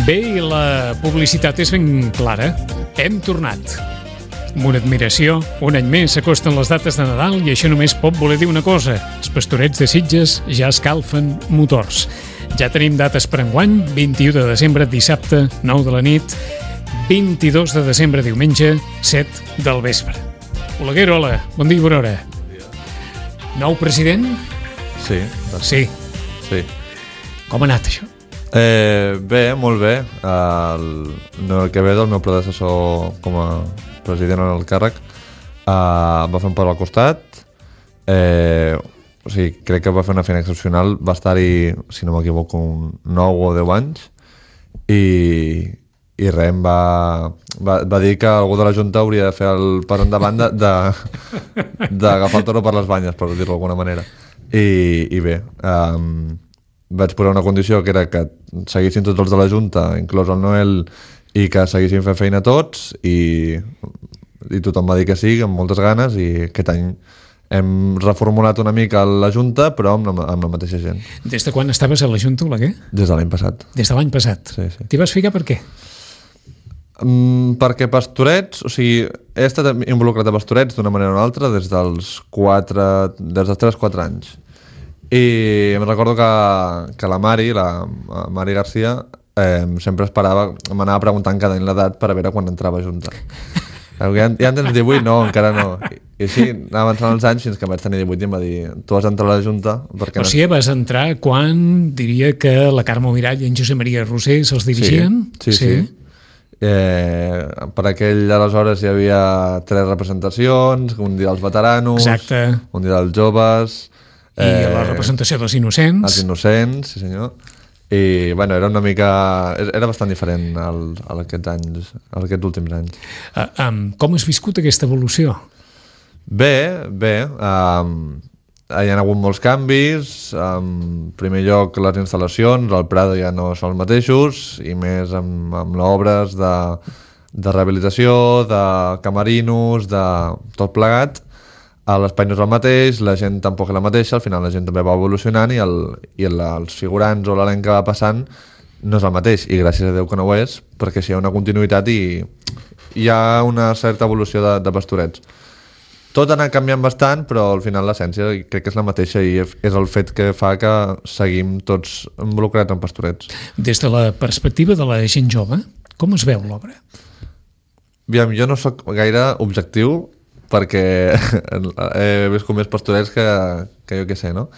Bé, i la publicitat és ben clara. Hem tornat. Amb una admiració, un any més s'acosten les dates de Nadal i això només pot voler dir una cosa. Els Pastorets de Sitges ja escalfen motors. Ja tenim dates per enguany, 21 de desembre, dissabte, 9 de la nit, 22 de desembre, diumenge, 7 del vespre. Oleguer, hola, bon dia i bona hora. Bon dia. Nou president? Sí. Sí. Com ha anat això? Bé, molt bé. El que ve del meu predecessor com a president en el càrrec va fer un pas al costat. O sigui, crec que va fer una feina excepcional. Va estar-hi, si no m'equivoco, 9 o 10 anys i res, va dir que algú de la Junta hauria de fer el pas endavant d'agafar el toro per les banyes, per dir-ho d'alguna manera. I bé, vaig posar una condició que era que seguissin tots els de la Junta, inclòs el Noel, i que seguissin fent feina tots, i tothom va dir que sí, amb moltes ganes, i aquest any hem reformulat una mica la Junta, però amb la mateixa gent. Des de quan estaves a la Junta, Oleguer? Des de l'any passat. Des de l'any passat? Sí. T'hi vas ficar per què? Perquè Pastorets, o sigui, he estat involucrat a Pastorets d'una manera o una altra des dels 3-4 anys. I em recordo que la Mari Garcia, sempre esperava, m'anava preguntant cada any l'edat per a veure quan entrava a Junta. Ja en tens 18? No, encara no. I així anava avançant els anys fins que vaig tenir 18 i em va dir, tu has d'entrar a la Junta? O sigui, vas entrar quan diria que la Carme Mirall i en Josep Maria Roser se'ls dirigien? Sí. Per aquell aleshores hi havia 3 representacions, un dia dels veteranos, exacte, un dia dels joves, i la representació dels innocents. Els innocents, sí senyor. I bueno, era una mica... Era bastant diferent aquests últims anys. Com has viscut aquesta evolució? Bé. Hi ha hagut molts canvis. En primer lloc, les instal·lacions, al Prado ja no són els mateixos, i més amb obres de rehabilitació, de camerinos, de tot plegat. L'espai no és el mateix, la gent tampoc és la mateixa, al final la gent també va evolucionant i els figurants o l'elenc que va passant no és el mateix, i gràcies a Déu que no ho és, perquè si hi ha una continuïtat i hi ha una certa evolució de Pastorets. Tot ha anat canviant bastant, però al final l'essència crec que és la mateixa i és el fet que fa que seguim tots involucrats en Pastorets. Des de la perspectiva de la gent jove, com es veu l'obra? Aviam, jo no sóc gaire objectiu, perquè he viscut més Pastorets que jo què sé, no?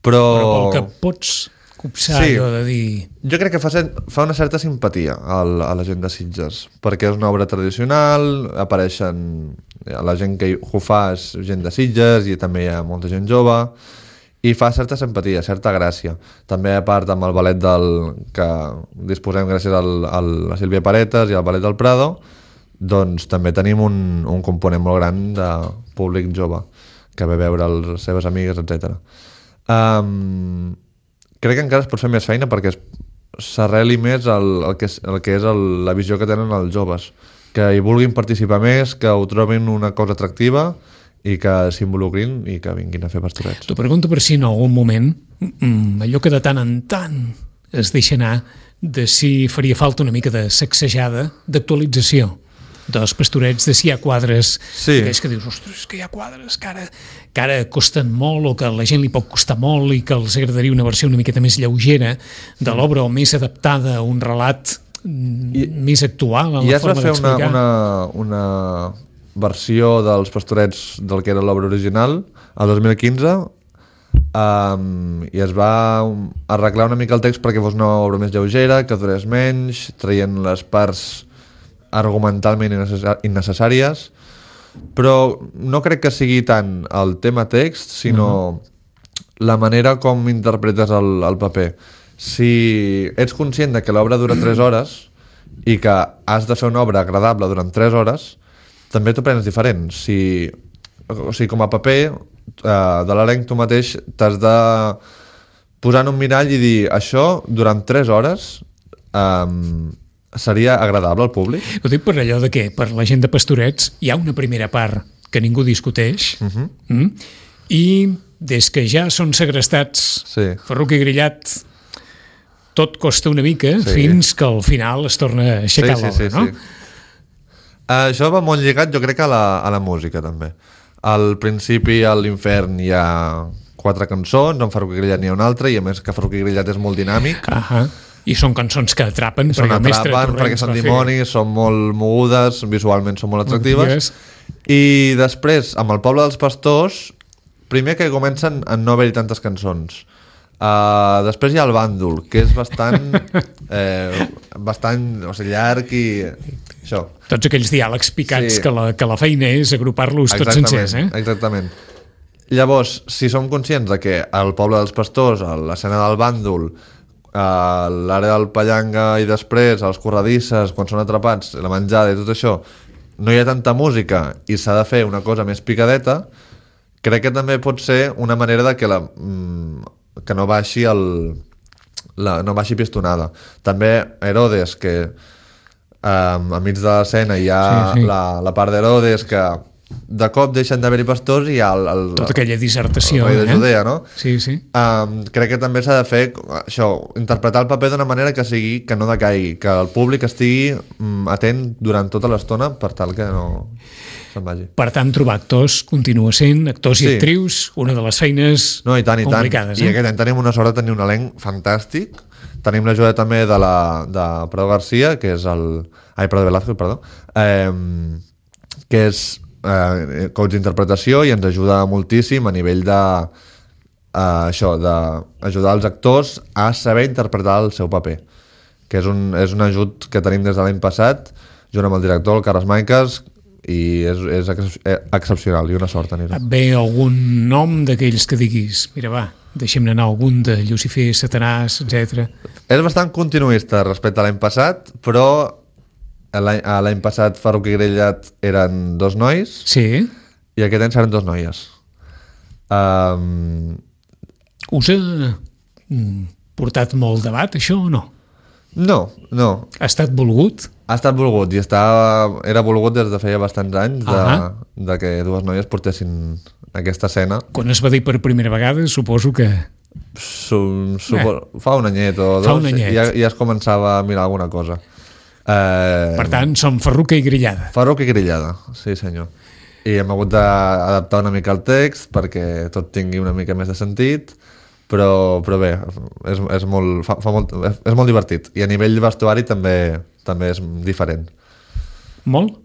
Però pel que pots copsar, sí, allò de dir... Jo crec que fa una certa simpatia a la gent de Sitges, perquè és una obra tradicional, apareixen... La gent que ho fa és gent de Sitges i també hi ha molta gent jove, i fa certa simpatia, certa gràcia. També a part amb el ballet que disposem gràcies a la Sílvia Paretas i al ballet del Prado, doncs també tenim un component molt gran de públic jove que ve a veure les seves amigues, etc. Crec que encara es pot fer més feina perquè s'arreli més el que és la visió que tenen els joves, que hi vulguin participar més, que ho trobin una cosa atractiva i que s'involucrin i que vinguin a fer Pastorets. T'ho pregunto per si en algun moment allò que de tant en tant es deixa anar, de si faria falta una mica de sacsejada, d'actualització dels Pastorets, de si hi ha quadres, sí, que dius, ostres, que hi ha quadres que ara costen molt o que a la gent li pot costar molt i que els agradaria una versió una miqueta més lleugera de l'obra o més adaptada a un relat més actual en la forma d'explicar. Ja es va fer una versió dels Pastorets del que era l'obra original el 2015 i es va arreglar una mica el text perquè fos una obra més lleugera, que durés menys, traient les parts argumentalment innecessàries, però no crec que sigui tant el tema text, sinó la manera com interpretes el paper. Si ets conscient de que l'obra dura 3 hores i que has de fer una obra agradable durant 3 hores, també t'ho prens diferent. O sigui, com a paper de l'elenc, tu mateix t'has de posar en un mirall i dir, això durant 3 hores seria agradable al públic? Ho dic per allò de que per la gent de Pastorets hi ha una primera part que ningú discuteix i des que ja són segrestats, sí, Ferruc i Grillat tot costa una mica fins que al final es torna a aixecar l'obra, no? Això va molt lligat, jo crec, a la música, també. Al principi, a l'Infern, hi ha 4 cançons, en Ferruc i Grillat n'hi ha una altra, i a més que Ferruc i Grillat és molt dinàmic. I són cançons que atrapen, perquè són dimonis, són molt mogudes, visualment són molt atractives. I després, amb el Poble dels Pastors, primer que comencen a no haver-hi tantes cançons. Després hi ha el Bàndol, que és bastant llarg i això. Tots aquells diàlegs picats que la feina és agrupar-los tots sencers. Exactament. Llavors, si som conscients de que el Poble dels Pastors, l'escena del Bàndol, l'àrea del Pallanga i després els corredisses, quan són atrapats, la menjada i tot això, no hi ha tanta música i s'ha de fer una cosa més picadeta, crec que també pot ser una manera de que no baixi no baixi pistonada. També Herodes, que enmig de l'escena hi ha la part d'Herodes que de cop deixen d'haver-hi pastors i hi ha tota aquella dissertació, el rei de Judea, no? Sí. Crec que també s'ha de fer això, interpretar el paper d'una manera que no decaigui, que el públic estigui atent durant tota l'estona per tal que no se'n vagi. Per tant, trobar actors continua sent, actors i actrius, una de les feines complicades. I aquest any tenim una sort de tenir un elenc fantàstic. Tenim l'ajuda també de Prado García, que és Prado Velázquez, perdó, que és coach d'interpretació i ens ajuda moltíssim a nivell d'ajudar els actors a saber interpretar el seu paper, que és un ajut que tenim des de l'any passat, junt amb el director, el Carles Maiques, i és excepcional, i una sort tenir-ho. Et ve algun nom d'aquells que diguis, mira va, deixem-ne anar algun de Llucifer, Satanàs, etc. És bastant continuista respecte a l'any passat, però l'any passat Ferruc i Grillat eren 2 nois i aquest any seran 2 noies. Us ha portat molt debat, això, o no? No. Ha estat volgut? Ha estat volgut i era volgut des de feia bastants anys de que 2 noies portessin aquesta escena. Quan es va dir per primera vegada, suposo que... Fa un anyet o 2 ja es començava a mirar alguna cosa. Per tant, som Ferruca i Grillada. Ferruca i Grillada, sí senyor. I hem hagut d'adaptar una mica el text perquè tot tingui una mica més de sentit, però bé, és molt divertit. I a nivell vestuari també és diferent. Molt?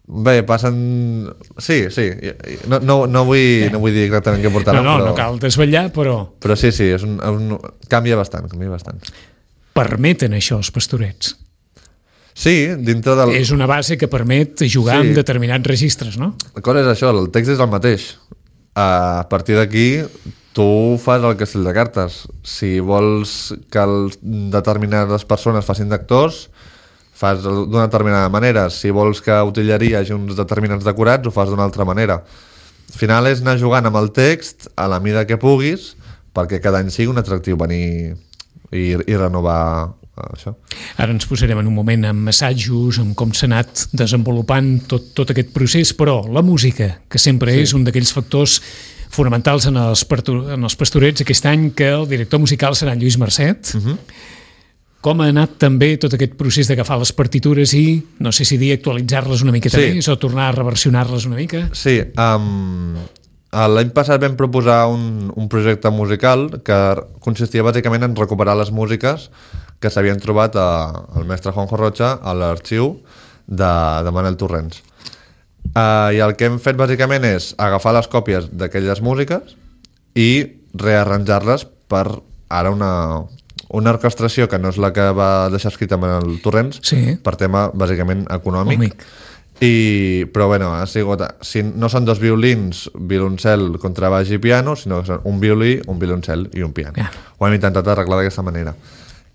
Bé, passen... Sí. No vull dir exactament què portaran. No cal desvetllar, però... Però sí, canvia bastant. Permeten això els pastorets? Sí, dintre del... És una base que permet jugar amb determinats registres, no? La cosa és això, el text és el mateix. A partir d'aquí, tu fas el castell de cartes. Si vols que determinades persones facin d'actors, fas d'una determinada manera. Si vols que a Utilleria hi hagi uns determinats decorats, ho fas d'una altra manera. Al final és anar jugant amb el text a la mida que puguis perquè cada any sigui un atractiu venir i renovar això. Ara ens posarem en un moment amb assajos, amb com s'ha anat desenvolupant tot aquest procés, però la música, que sempre és un d'aquells factors fonamentals en els pastorets, aquest any que el director musical serà en Lluís Marcet. Com ha anat també tot aquest procés d'agafar les partitures i, no sé si dir, actualitzar-les una miqueta més o tornar a reversionar-les una mica? Sí, l'any passat vam proposar un projecte musical que consistia bàsicament en recuperar les músiques que s'havien trobat el mestre Juanjo Rocha a l'arxiu de Manel Torrents. I el que hem fet bàsicament és agafar les còpies d'aquelles músiques i rearranjar-les per ara una orquestració que no és la que va deixar escrita Manel Torrents, per tema bàsicament econòmic. Però bueno, ha sigut, no són 2 violins, violoncel, contrabaix i piano, sinó que són un violí, un violoncel i un piano. Ho hem intentat arreglar d'aquesta manera.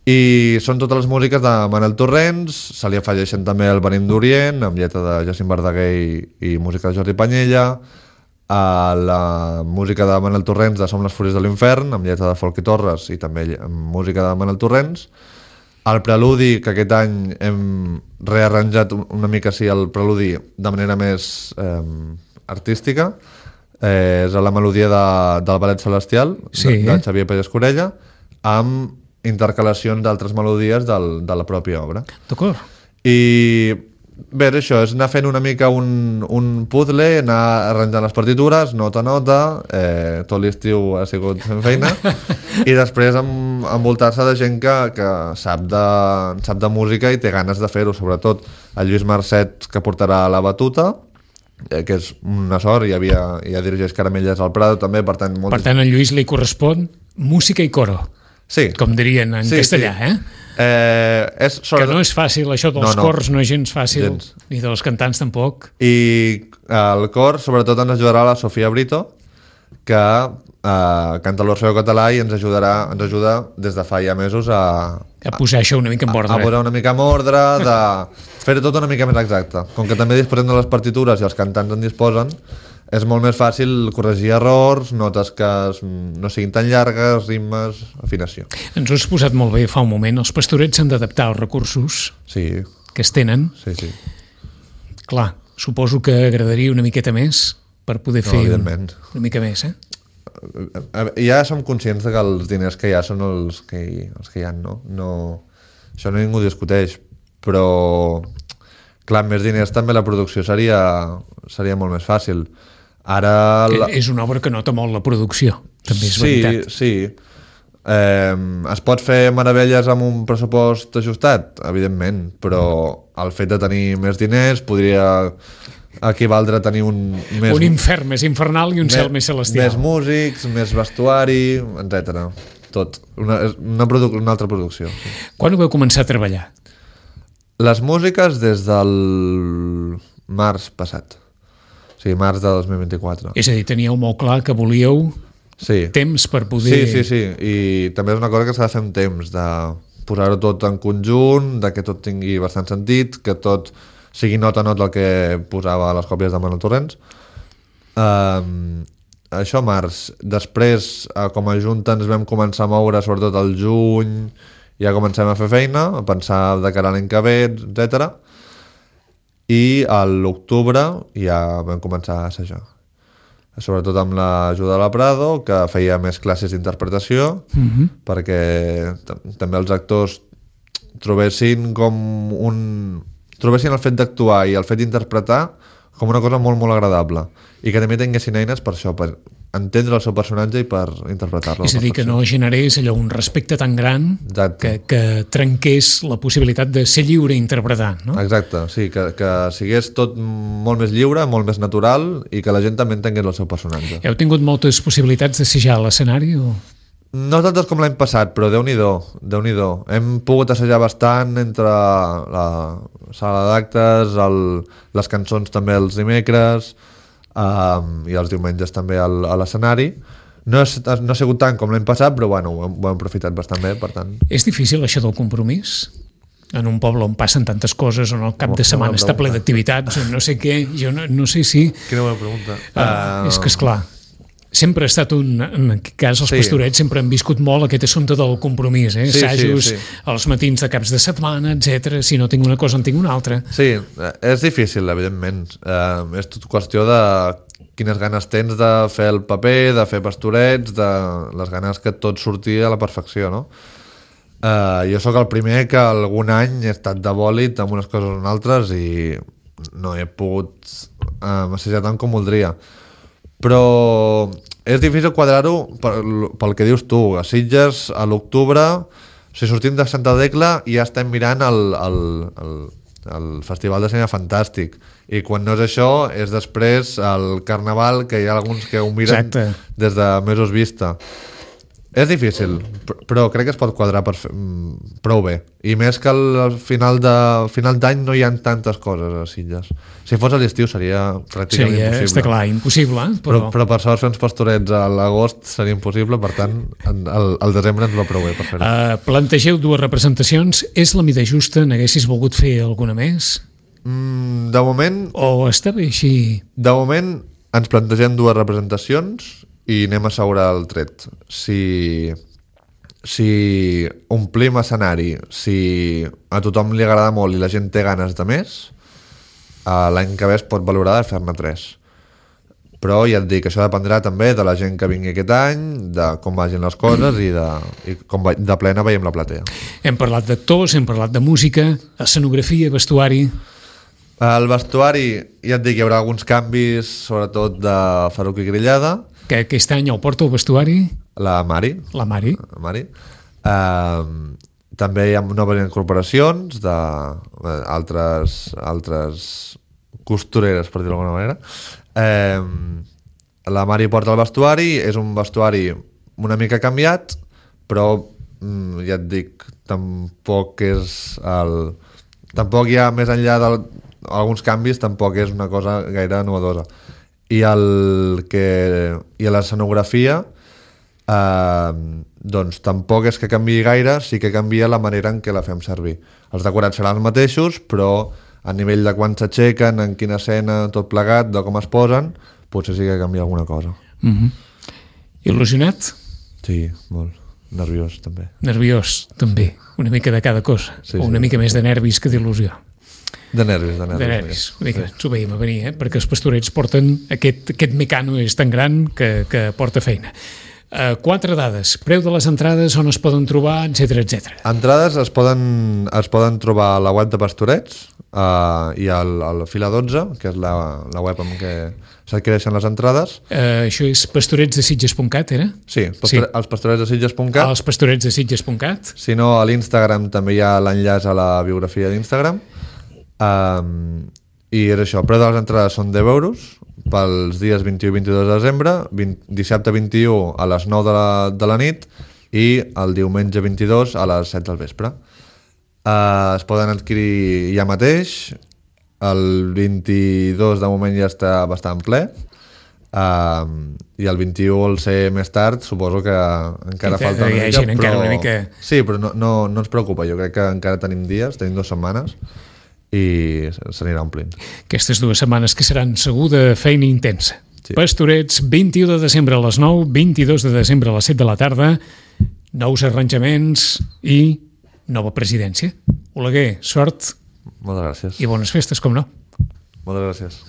I són totes les músiques de Manel Torrents, se li afegeixen també el Venim d'Orient, amb lletra de Jacint Verdaguer i música de Jordi Panyella, la música de Manel Torrents de Som les Fúries de l'Infern, amb lletra de Folky Torres i també amb música de Manel Torrents, el preludi, que aquest any hem rearranjat una mica el preludi de manera més artística, és la melodia del Ballet Celestial de Xavier Pérez Corella, amb intercalacions d'altres melodies de la pròpia obra. D'acord. I bé, això és anar fent una mica un puzzle, anar arranjant les partitures, nota a nota, tot l'estiu ha sigut fent feina, i després envoltar-se de gent que sap de música i té ganes de fer-ho, sobretot el Lluís Marcet, que portarà la batuta, que és una sort, ja dirigeix Caramelles al Prado també, per tant... Per tant, a Lluís li correspon música i coro, sí. Com dirien en castellà, sí. Que no és fàcil, això dels cors no és gens fàcil, gens. Ni dels cantants tampoc. I el cor, sobretot, ens ajudarà la Sofia Brito, que canta l'Orfeo Català i ens ajuda des de fa ja mesos a posar això una mica en ordre. A posar una mica en ordre, de fer-ho tot una mica més exacte. Com que també disposem de les partitures i els cantants en disposen, és molt més fàcil corregir errors, notes que no siguin tan llargues, ritmes, afinació. Ens ho has posat molt bé fa un moment. Els pastorets s'han d'adaptar als recursos que es tenen. Sí. Clar, suposo que agradaria una miqueta més per poder fer una mica més, Ja som conscients que els diners que hi ha són els que hi ha, no? Això no ningú discuteix, però clar, amb més diners també la producció seria molt més fàcil. Ara... És una obra que nota molt la producció, també és veritat. Sí. Es pot fer meravelles amb un pressupost ajustat? Evidentment, però el fet de tenir més diners podria equivaldre a tenir un infern més infernal i un cel més celestial. Més músics, més vestuari, etc. Tot. Una altra producció. Sí. Quan ho vau començar a treballar? Les músiques des del març passat. O sigui, març de 2024. És a dir, teníeu molt clar que volíeu temps per poder... Sí. I també és una cosa que s'ha de fer amb temps, de posar-ho tot en conjunt, de que tot tingui bastant sentit, que tot sigui nota a nota el que posava a les còpies de Manuel Torrents. Això març. Després, com a junta, ens vam començar a moure, sobretot al juny, ja comencem a fer feina, a pensar de cara a l'any que ve, etc. I a l'octubre ja vam començar a assajar. Sobretot amb l'ajuda de la Prado, que feia més classes d'interpretació, perquè també els actors trobessin el fet d'actuar i el fet d'interpretar com una cosa molt, molt agradable. I que també tinguessin eines per això, per entendre el seu personatge i per interpretar-lo. És a dir, que no generés allò un respecte tan gran que trenqués la possibilitat de ser lliure interpretant, no? Exacte, sí, que sigués tot molt més lliure, molt més natural i que la gent també entengués el seu personatge. Heu tingut moltes possibilitats d'assajar a l'escenari o...? No tantes com l'any passat, però Déu-n'hi-do. Hem pogut assajar bastant entre la sala d'actes, les cançons també els dimecres i els diumenges també a l'escenari. No ha sigut tant com l'any passat, però bueno, ho hem aprofitat bastant bé, per tant... És difícil això del compromís? En un poble on passen tantes coses, on el cap de setmana està ple d'activitats, on no sé què, jo no sé si... Quina bona pregunta. És que, esclar, sempre ha estat en aquest cas els pastorets sempre han viscut molt aquest assumpte del compromís, assajos als matins de caps de setmana, etc. Si no tinc una cosa en tinc una altra. Sí, és difícil, evidentment. És tot qüestió de quines ganes tens de fer el paper, de fer pastorets, de les ganes que tot surti a la perfecció, no? Jo sóc el primer que algun any he estat de bòlit amb unes coses o en altres i no he pogut assajar tant com voldria. Però és difícil quadrar-ho pel que dius tu. A Sitges, a l'octubre, si sortim de Santa Tecla i ja estem mirant el Festival de Cinema Fantàstic. I quan no és això, és després el Carnaval, que hi ha alguns que ho miren des de mesos vista. És difícil, però crec que es pot quadrar prou bé. I més que al final d'any no hi ha tantes coses a Sitges. Si fos a l'estiu seria pràcticament impossible. Està clar, impossible. Però per sort fer uns pastorets a l'agost seria impossible, per tant, al desembre ens va prou bé per fer-ho. Plantegeu 2 representacions. És la mida justa? N'haguessis volgut fer alguna més? De moment... O està bé així? De moment ens plantegem 2 representacions i anem a assegurar el tret. Si omplim escenari, si a tothom li agrada molt i la gent té ganes de més, l'any que ve es pot valorar de fer-ne 3. però ja et dic, això dependrà també de la gent que vingui aquest any, de com vagin les coses i com de plena veiem la platea. Hem parlat d'actors, hem parlat de música, escenografia, vestuari... El vestuari, ja et dic, hi haurà alguns canvis, sobretot de Faruc i Grillada. Que aquest any el porta el vestuari? La Mari. La Mari. També hi ha noves incorporacions d'altres costureres, per dir-ho d'alguna manera. La Mari porta el vestuari, és un vestuari una mica canviat, però ja et dic, tampoc hi ha més enllà d'alguns canvis, tampoc és una cosa gaire novedosa. I a l'escenografia doncs tampoc és que canviï gaire, sí que canvia la manera en què la fem servir. Els decorats seran els mateixos, però a nivell de quan s'aixequen, en quina escena, tot plegat, de com es posen, potser sí que canvia alguna cosa. Il·lusionat? Sí, molt. Nerviós, també. Nerviós, també. Una mica de cada cosa. O una mica més de nervis que d'il·lusió. De nervis. De nervis. Ens ho veiem a venir, perquè els pastorets porten... Aquest mecano és tan gran que porta feina. 4 dades. Preu de les entrades, on es poden trobar, etc. Entrades es poden trobar a la web de Pastorets i al Fila 12, que és la web amb què s'adquireixen les entrades. Això és pastoretsdesitges.cat, era? Sí, els pastoretsdesitges.cat. Els pastoretsdesitges.cat. Si no, a l'Instagram també hi ha l'enllaç a la biografia d'Instagram. I és això, el preu de les entrades són 10 euros pels dies 21 i 22 de desembre, dissabte 21 a les 9 de la nit i el diumenge 22 a les 7 del vespre. Es poden adquirir ja mateix, el 22 de moment ja està bastant ple, i el 21 al ser més tard suposo que encara falta una mica, sí, però no ens preocupa, jo crec que encara tenim dies, tenim 2 setmanes i s'anirà omplint. Aquestes 2 setmanes que seran segur de feina intensa. Sí. Pastorets, 21 de desembre a les 9, 22 de desembre a les 7 de la tarda, nous arranjaments i nova presidència. Oleguer, sort. Moltes gràcies. I bones festes, com no. Moltes gràcies.